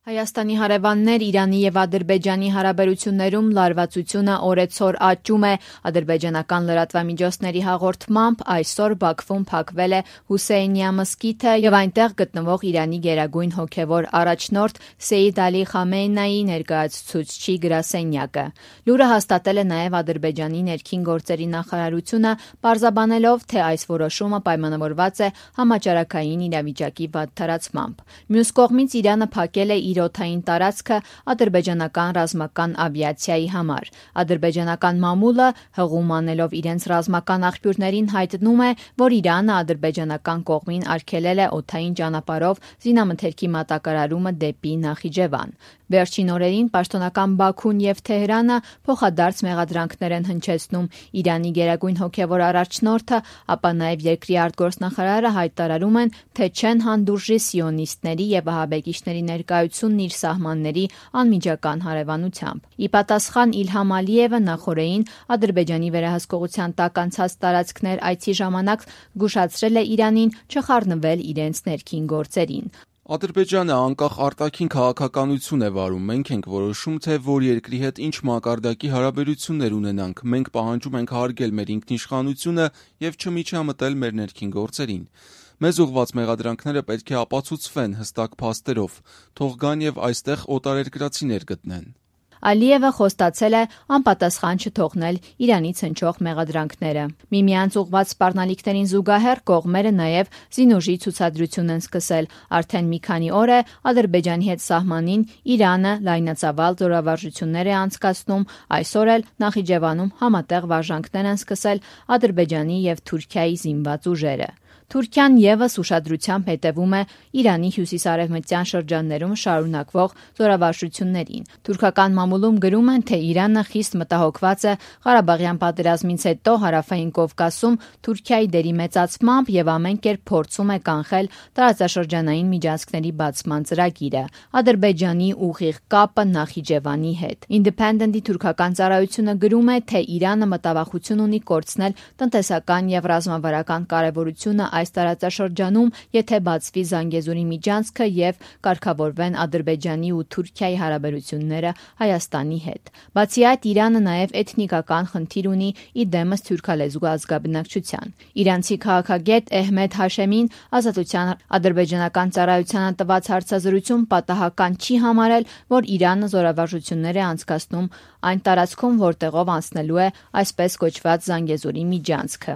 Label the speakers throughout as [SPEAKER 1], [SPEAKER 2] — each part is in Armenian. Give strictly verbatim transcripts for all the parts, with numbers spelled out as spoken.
[SPEAKER 1] Հայաստանի հարևաններ Իրանի և Ադրբեջանի հարաբերություններում լարվածությունը օրեցօր աճում է։ Ադրբեջանական լրատվամիջոցների հաղորդմամբ այսօր Բաքվում փակվել է Հուսեյնիա մզկիթը և այնտեղ գտնվող Իրանի գերագույն հոգևոր առաջնորդ Սեյիդ Ալի Խամենեիի ներկայացուցչի գրասենյակը։ Լուրը հաստատել է նաև Ադրբեջանի ներքին գործերի նախարարությունը, պարզաբանելով, թե այս որոշումը պայմանավորված է համաճարակային իրավիճակի վատթարացմամբ։ Մյուս կողմից Իրանը փակել է իր օդային տարածքը ադրբեջանական ռազմական ավիացիայի համար։ Ադրբեջանական մամուլը հղում անելով իրենց ռազմական աղբյուրներին հայտնում է, որ Իրանը ադրբեջանական կողմին արգելել է օդային ճանապարհով զինամթերքի մատակարարումը դեպի Նախիջևան։ Վերջին օրերին պաշտոնական Բաքուն և Թեհրանը փոխադարձ մեղադրանքներ են հնչեցնում Իրանի գերագույն հոգևոր առաջնորդը, ապա նաև երկրի արտգործնախարարը հայտարարում են, թե չեն հանդուրժի սիոնիստների և վահաբեկիչների ներկայությունն իր սահմանների անմիջական հարևանությամբ։ Ի պատասխան Իլհամ Ալիևը նախօրեին Ադրբեջանի վերահսկողության տակ անցած տարածքներ այցի ժամանակ զգուշացրել է Իրանին չխառնվել իրենց ներքին գործերին։
[SPEAKER 2] Ադրբեջանը անկախ արտաքին քաղաքականություն է վարում, մենք ենք որոշում, թե որ երկրի հետ ինչ մակարդակի հարաբերություններ ունենանք, մենք պահանջում ենք հարգել մեր ինքնիշխանությունը և չմիջամտել մեր ներքին գործերին։ Մեզ ուղղված մեղադրանքները պետք է ապացուցվեն հստակ փաստերով, թող գան և այստեղ օտարերկրացիներ գտնեն։
[SPEAKER 1] Ալիևը խոստացել է անպատասխան չթողնել Իրանից հնչող մեղադրանքները։ Միմյանց ուղղված սպառնալիքներին զուգահեռ կողմերը նաև զինուժի ցուցադրություն են սկսել։ Արդեն մի քանի օր է Ադրբեջանի հետ սահմանին Իրանը լայնածավալ զորավարժություններ է անցկացնում, այսօր էլ Նախիջևանում համատեղ վարժանքներ են սկսել Ադրբեջանի և Թուրքիայի զինված ուժերը։ Թուրքիան ևս ուշադրությամբ հետևում է Իրանի հյուսիսարևմտյան շրջաններում շարունակվող զորավարժություններին։ Թուրքական մամուլում գրում են, թե Իրանը խիստ մտահոգված է Ղարաբաղյան պատերազմից հետո Հարավային Կովկասում Թուրքիայի դերի մեծացմամբ և ամեն կերպ փորձում է կանխել տարածաշրջանային միջանցքների բացման ծրագիրը։ Ադրբեջանի ուղիղ կապը Նախիջևանի հետ։ Independent-ի թուրքական ծառայությունը գրում է, թե Իրանը մտավախություն ունի կորցնել տնտեսական և ռազմավարական կարևորությունը այս տարածաշրջանում, եթե բացվի Զանգեզուրի միջանցքը և կարգավորվեն Ադրբեջանի ու Թուրքիայի հարաբերությունները Հայաստանի հետ։ Բացի այդ, Իրանը նաև էթնիկական խնդիր ունի ի դեմս թյուրքալեզու ազգաբնակչության։ Իրանցի քաղաքագետ Էհմեդ Հաշեմին Ազատության ադրբեջանական ծառայությանը տված հարցազրույցում պատահական չի համարել, որ Իրանը զորավարժություններ է անցկացնում այն տարածքում, որտեղով անցնելու է այսպես կոչված Զանգեզուրի միջանցքը։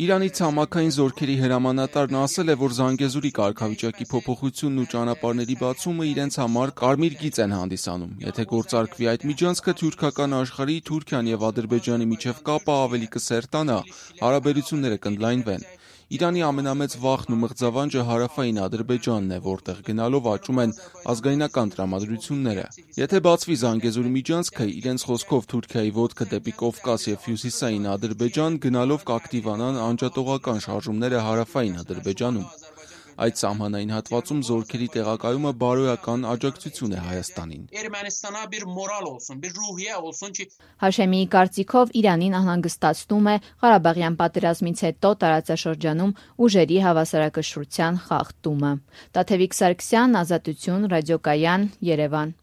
[SPEAKER 2] Իրանի ցամաքային զորքերի հրամանատարն ասել է, որ Զանգեզուրի կարգավիճակի փոփոխությունն ու ճանապարհների բացումը իրենց համար կարմիր գիծ են հանդիսանում։ Եթե գործարկվի այդ միջանցքը թյուրքական աշխարհի, Թուրքիան և Ադրբեջանի միջև կապը ավելի կսերտանա, հարաբերությունները կընդլայնվեն։ Իրանի ամենամեծ վախն ու մղձավանջը հարավային Ադրբեջանն է, որտեղ գնալով աճում են ազգայնական տրամադրությունները։ Եթե բացվի Զանգեզուրի միջանցքը, իրենց խոսքով Թուրքիայի ոտքը դեպի Կովկաս և հյուսիսային Ադրբեջան գնալով կակտիվանան անջատողական շարժումները հարավային Ադրբեջանում։ Այդ սահմանային հատվածում զորքերի տեղակայումը բարոյական աջակցություն է Հայաստանին։
[SPEAKER 1] Հաշեմիի կարծիքով Իրանին անհանգստացնում է Ղարաբաղյան պատերազմից հետո տարածաշրջանում ուժերի հավասարակշռության խախտումը։ Տաթևիկ Սարգսյան, Ազատություն, Ռադիոկայան, Երևան։